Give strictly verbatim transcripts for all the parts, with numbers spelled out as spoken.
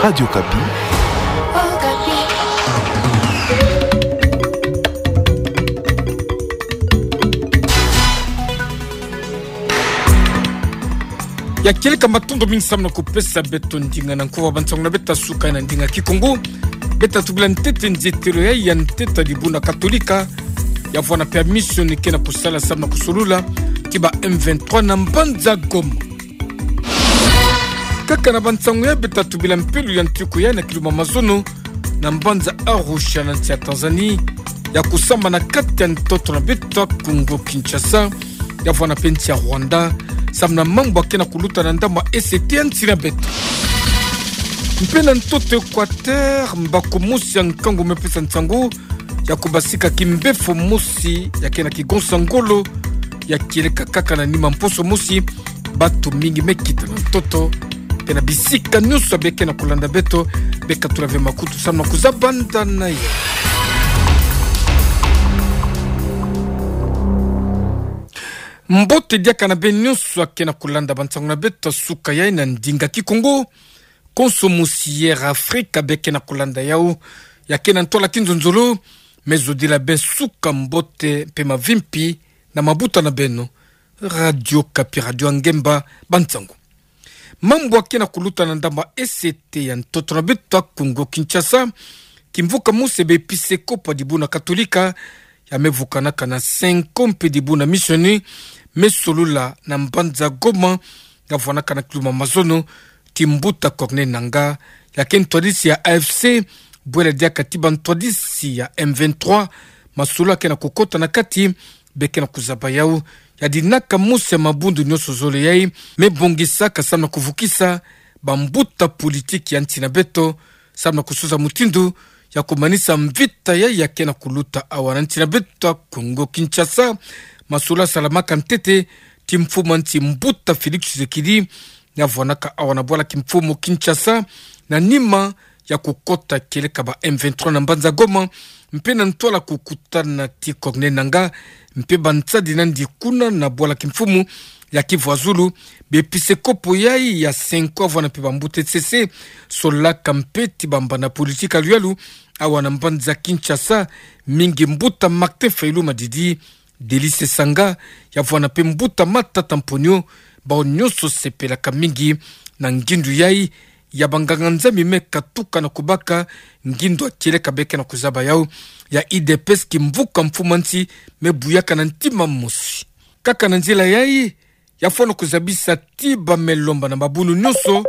Radio Okapi. Ya kieleka, matondo mingi samu na kupesa beto ndinga na nkuwa bansangu na beta suka na ndinga Kikongo. Beta tubila ntete nzetelo ya, ya ntete dibuna Katolika, ya vwanda pe ya mission ke na kusala samu na kusolula ti ba M vingt-trois na mbanza Goma. Kaka na bansangu ya, beta tubila mpelo ya ntiku ya na kiluma mazono na mbanza Arusha na nsi ya Tanzanie, ya kusambana kati ya ntoto na beto ya Congo Kinshasa, ya vwanda pe nsi ya Rwanda, samu na mambu ya ke na kuluta na ndambu ya E C T ya nsi na beto. Mpe na ntoto Equateur, mbako mosi ya nkangu me pesa nsangu ya kubasika kimbefo mosi ya ke na kigonsa ngolo, ya kieleka kaka na nima mposo mosi. Bato mingi me kita na ntoto, mpe na bisika nyonso bie ke na kulanda beto, bie katula ve makutu samu na kuzabanda na yo. Mbote diaka na beno nyonso ya ke na kulanda bansangu na beto ya suka ya na ndinga Kikongo. Konso mosi ya Air Afrique bie ke na kulanda yau, ya ke na ntwala kinzonzolo, me zodila beno suka mbote mpe mavimpi na mabuta na beno. Radio Okapi, radio ya ngemba, bansangu. Mambu ya ke na kuluta na ndambu ya E C T ya ntoto na beto ya Congo Kinshasa. Kimvuka mosi ya baepisekopo ya dibuna Katolika, ya me vukanaka na Cenco mpe dibuna Mission, me solula na mbanza Goma, ya vwanaka na kiluma mazono ti mbuta Corneille Nangaa, ya ke ntwadisi ya A F C, bwela diaka ti bantwadisi ya M vingt-trois. Masolo ya ke na kukota na kati, bie ke na kuzaba yau, ya dinaka mosi ya mabundu nyonso zole yai me bongisaka samu na kuvukisa bambuta politiki ya nsi na beto, samu na kusuza mutindu ya kumanisa mvita yai ya ke na kuluta awa na nsi na beto ya Congo Kinshasa. Masolo ya salamaka ntete ti mfumu ya nsi mbuta Félix Tshisekedi, ya vwanaka awa na bwala kimfumu Kinshasa, na nima ya kukota kieleka ba M vingt-trois na mbanza Goma, mpe na ntwala kukutana ti Corneille Nangaa mpe bansadi nandi kuna na bwala kimfumu ya Kivu ya Zulu. Baepisekopo yai ya Cenco, ya vwanda mpe bambuta E C C, solaka mpe ti bambanda politiki ya luyalu awa na mbanza Kinshasa, mingi mbuta Martin Fayulu Madidi, Delice Sangaa, ya vwanda mpe mbuta Matata Mponyo. Bawu nyonso sepelaka mingi na ngindu yai ya banganga-Nzambi me katuka na kubaka ngindu ya kieleka bie ke na kuzaba yau, ya U D P S, kimvuka mfumu ya nsi me buyaka na ntima mosi. Kaka na nzila yai, ya fwana kuzabisa ti ba me lomba na mabundu nyonso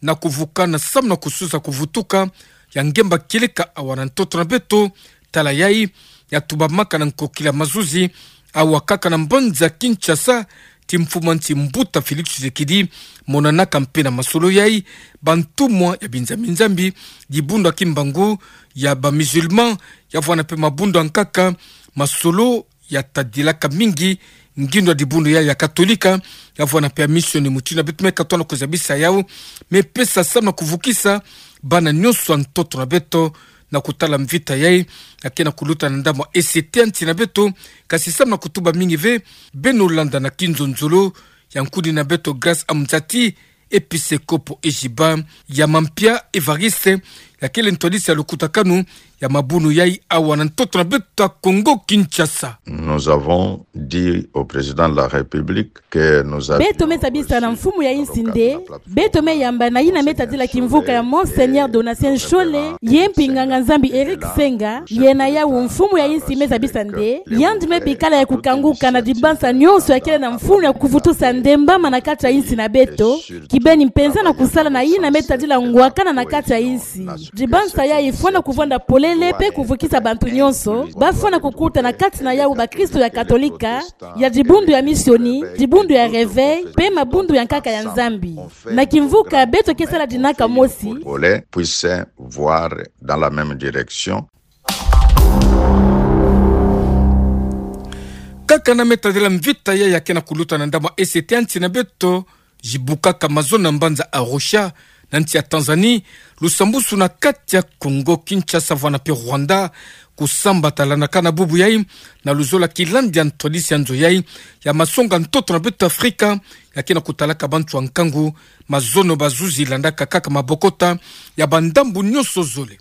na kuvukana samu na kusuza kuvutuka ya ngemba kieleka awa na ntoto na beto. Tala yai ya tubamaka na nkokila mazuzi awa kaka na mbanza Kinshasa, ti mfumu ya nsi mbuta Félix Tshisekedi. Monanaka mpe na masolo yai bantumwa ya binzambi-nzambi, dibundu ya Kimbangu, ya ba musulmans, ya vwanda mpe mabundu ya nkaka. Masolo ya tadilaka mingi ngindu ya dibundu yai ya Katolika, ya vwanda mpe ya Mission, mutindu beto me katoa na kuzabisa yau, me pesa samu na kuvukisa bana nyonso ya ntoto na beto na kutala mvita yai ya ke na kuluta na ndambu ya E C T ya nsi na beto. Kasi samu na kutuba mingi ve, beno landa na kinzonzolo ya nkuni na beto Grâce Amzati, episekopo Ejiba, ya Mampia Évariste, ya kele ntwadisi ya lukutakanu ya mabundu yai awa na ntoto na beto ya Congo Kinshasa. Nous avons dit au président de la République que nous avions reçu dans le cadre de la plateforme. Beto me zabisa na mfumu ya insi nde beto me yamba na yina me tadila kimvuka ya Monseigneur Donatien Nshole, ye mpi nganga-Nzambi Eric Senga, ye na yau mfumu ya insi me zabisa nde yandi me bikala ya kukanguka na dibansa nyonso ya kele na mfunu ya kuvutusa ndembama na kati ya insi na beto, kibeni mpenza na kusala na yina me tadila ngwakana na kati ya insi. Dibansa yai fwana kuvwanda polele mpe kuvukisa bantu nyonso ba fwana kukuta na kati na yau bakristo ya Katolika, ya dibundu ya Mission, dibundu ya Réveil, mpe mabundu ya nkaka ya Nzambi. Na kimvuka beto ke sala dinaka mosi. Congolais puissent voir dans la même direction. Kaka na me tadila mvita yai ya ke na kuluta na ndambu ya E C T ya nsi na beto, zibukaka mazono na mbanza Arusha, na nsi ya Tanzanie, lusambusu na kati ya Congo Kinshasa vwanda mpe Rwanda, kusambatalanaka na bubu yai, na luzolo ya kilandi ya ntwadisi ya nzo yai ya masonga ntoto na beto Afrika, na ke na kutalaka bantu ya nkangu, mazono bazuzi landaka kaka mabokota ya bandambu nyonso zole.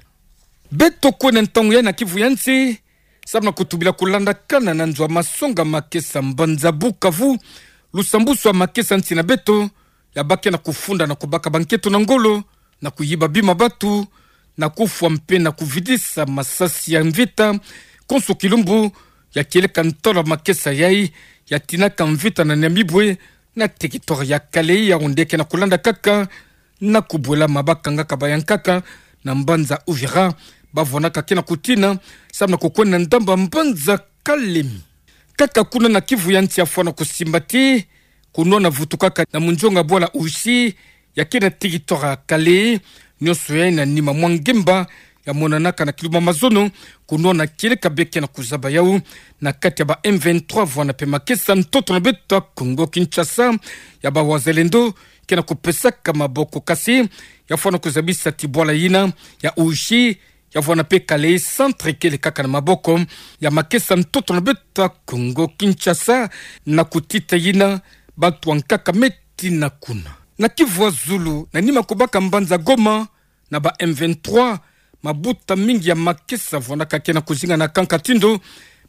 Beto kwenda ntangu ya na kivu ya nsi, samu na kutubila kulandakana na nzo ya masonga makesa mbanza Bukavu, lusambusu ya makesa nsi na beto, ya baki na kufunda na kubaka banketo na ngolo, na kuyiba bima batu, na kufwa mpe na kuvidisa masasi ya mvita, konso kilumbu, ya kieleka ntolo ya makesa yayi, ya tinaka mvita na Nyamibwe, na territoire ya Kalehe, ya onde ke na kulanda kaka, na kubwela mabaka nga ka bayankaka, na mbanza Uvira, bavwanaka ke na kutina, samu na kukwenda ndambu ya mbanza Kalemi. Kaka kuna na kivu ya nsi ya fwana kusimba ti, kunwana vutukaka na munzonga bwala Oishie, ya ke na territoire ya Kalehe, nyonso yayi na nima mwa ngemba, ya monanaka na kilumbu ya mazono, kunwana kieleka bie ke na kuzaba yawu, na kati ya ba M vingt-trois vwana mpe makesa ntoto na beto ya Kongo Kinshasa, ya ba wazalendo, ke na kupesaka maboko kasi, ya fwana kuzabisa ti bwala yina, ya Oishie, ya vwana mpe Kalehe centre kele kaka na maboko ya makesa ntoto na beto ya Kongo Kinshasa, na kutita yina bantu ya nkaka me tina kuna. Na kivu ya zulu, na nima kubaka mbanza Goma, na ba M vingt-trois, mabuta mingi ya makesa vwanaka ke na kuzinga na kanka tindo,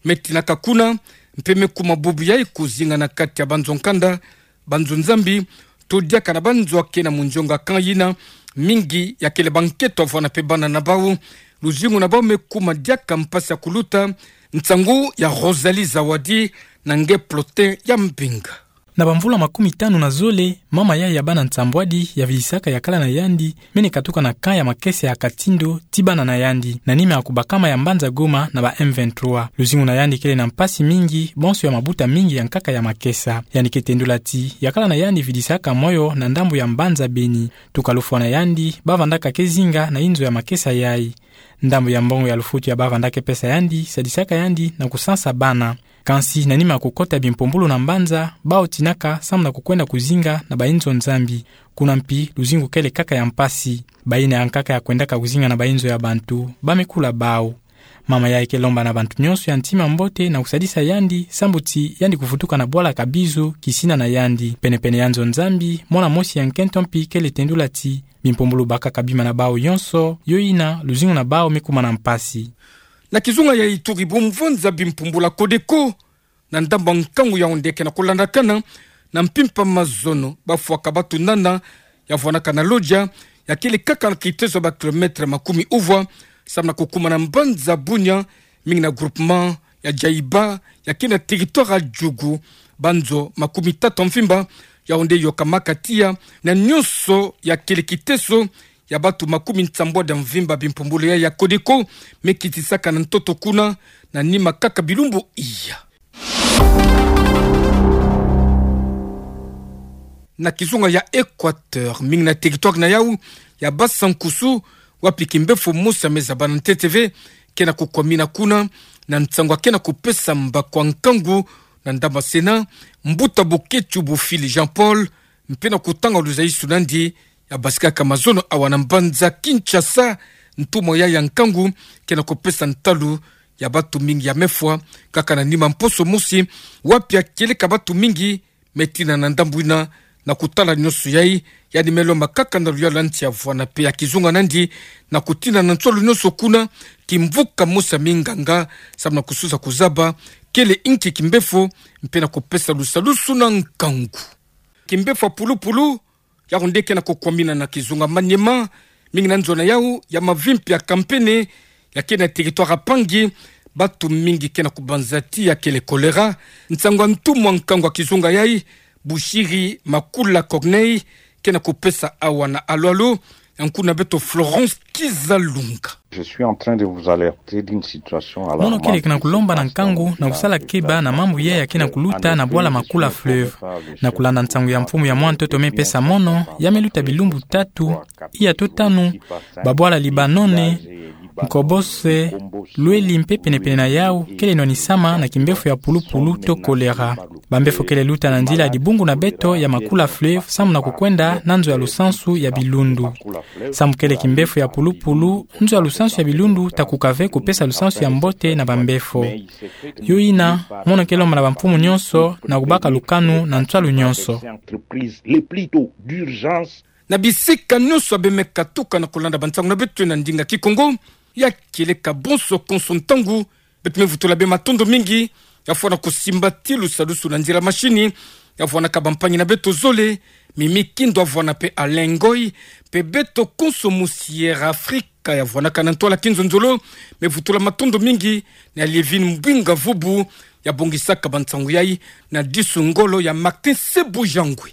me tinaka kuna, mpe me kuma bubu yayi kuzinga na kati ya banzo nkanda, banzo nzambi, to diaka na banzo ya ke na munzonga camp yina, mingi ya kele banketo vwana mpe bana na bawu, luzingu na bawu me kuma diaka mpasi ya kuluta, nsangu ya Rosalie Zawadi, na nge Plotin ya Mbinga. Na bamvula makumi tanu na zole, mama yayi ya bana nsambwadi, ya vidisaka yakala na yandi, mene katuka na camp ya makesa ya Katindo, ti bana na yandi, na nima ya kubakama ya mbanza Goma na ba M vingt-trois. Luzingu na yandi kele na mpasi mingi, bonso ya mabuta mingi ya nkaka ya makesa. Yandi ke tendula ti, yakala na yandi vidisaka moyo na ndambu ya mbanza Beni. Tuka lufwa na yandi, bavandaka ke zinga na inzo ya makesa yayi. Ndambu ya mbongo ya lufutu ya bavandaka ke pesa yandi, sadisaka yandi na kusansa bana. Kansi na nima ya kukota bimpumbulu na mbanza, bawu tinaka samu na kukwenda kuzinga na bainzo nzambi. Kuna mpi, luzingu kele kaka ya mpasi. Bayina ya nkaka ya kwendaka kuzinga na bainzo ya bantu, ba me kula bawu. Mama yayi ke lomba na bantu nyonso ya ntima mbote na kusadisa yandi, sambu ti yandi kuvutuka na bwala Kabizo, kisina na yandi. Penepene ya nzo nzambi, mwana mosi ya nkento mpi kele tendula ti, bimpumbulu bakaka bima na bawu yonso, yo yina, luzingu na bawu me kuma na mpasi. Na kizunga ya Ituri, bumvwa nza bimpumbulu ya Codeco, na ndambu ya nkangu ya onde ke na kulandakana, na mpimpa mazono, bafwaka batu nana, ya vwanaka na Lodja, ya kele kaka na kiteso ba kilomètre makumi uvwa, samu na kukuma na mbanza Bunia, mingi na groupement ya Djaïba, ya ke na territoire ya Djugu, banzo makumi tatu ya mvimba, ya onde yokamaka tiya, na nyonso ya kele kiteso, ya batu makumi nsambwadi ya mvimba bimpumbulu ya, ya Codeco, me kitisaka na ntoto kuna, na nima kaka bilumbu iya. Na kizunga ya Équateur, mingi na territoire na yawu, ya Bassa-Nkousou, wapi kimbefo mosi ya me zaba na ntete ve, ke na kukwamina kuna, na nsangu ya ke na kupesa mbakwa nkangu, na ndambu ya Sénat, mbuta Boketshu Bofili Jean-Paul, mpe na kutanga luzayisu nandi, ya basikaka mazono awa na mbanza Kinshasa, ntumwa ya ya nkangu, ke na kupesa ntalu, ya batu mingi ya me fwa, kaka na nima mposo mosi, wapi ya kieleka batu mingi, me tina na ndambu yina, na kutala nyonso yayi, yandi me lomba kaka na luyalu ya nsi ya vwana mpe ya kizunga nandi, na kutina na nsolo nyonso kuna, kimvuka mosi ya minganga, samu na kususa kuzaba, kele inki kimbefo, mpe na kupesa lusalusu na nkangu. Kimbefo ya pulupulu, ya onde ke na kukwamina na kizunga Maniema, mingi na nzo na yawu, ya Mavimpi ya Kampene, ya ke na territoire ya Pangi, batu mingi ke na kubanza ti ya kele choléra, nsangu ya ntumwa nkangu ya kizunga yayi, Bushiri Makula Corneille, ke na kupesa awa na alu-alu, ya nkuna beto Florence Kizalunga. Je suis en train de vous alerter d'une situation alarmante. Mono kele ke na kulomba na nkangu na kusala keba na mambu yayi ya ke na kuluta na bwala Makula Fleuve. Na kulanda nsangu ya mfumu ya mwa ntoto me pesa mono, ya me luta bilumbu tatu, iya to tanu, babwala Libanone, Mkombose, Lueli mpe penepene na yau kele nwanisama na kimbefo ya pulupulu to choléra. Bambefo kele luta na nzila ya dibungu na beto ya Makula Fleuve samu na kukwenda na nzo ya lusansu ya bilundu. Samu kele kimbefo ya pulupulu, nzo ya lusansu ya bilundu ta kuka ve kupesa lusansu ya mbote na bambefo. Yo ina, mono ke lomba na bamfumu nyonso na kubaka lukanu na ntwalu nyonso. Na bisika nyonso bemeka tuka na kulanda bansangu na beto na ndinga Kikongo, ya kieleka bonso konso ntangu, beto me vutula bê matondo mingi, ya vwanda kusimba ti lusadusu na nzila mashini, ya vwanaka bampangi na beto zole, Mimi Kindo ya vwanda mpe Alain Ngoy, mpe beto konso mu Sierra Africa ya vwanaka na ntwala kinzonzolo, me vutula matondo mingi na Lievine Mbwinga Vubu, ya bongisaka bansangu yai na disu ngolo ya Martin Sebujangwe.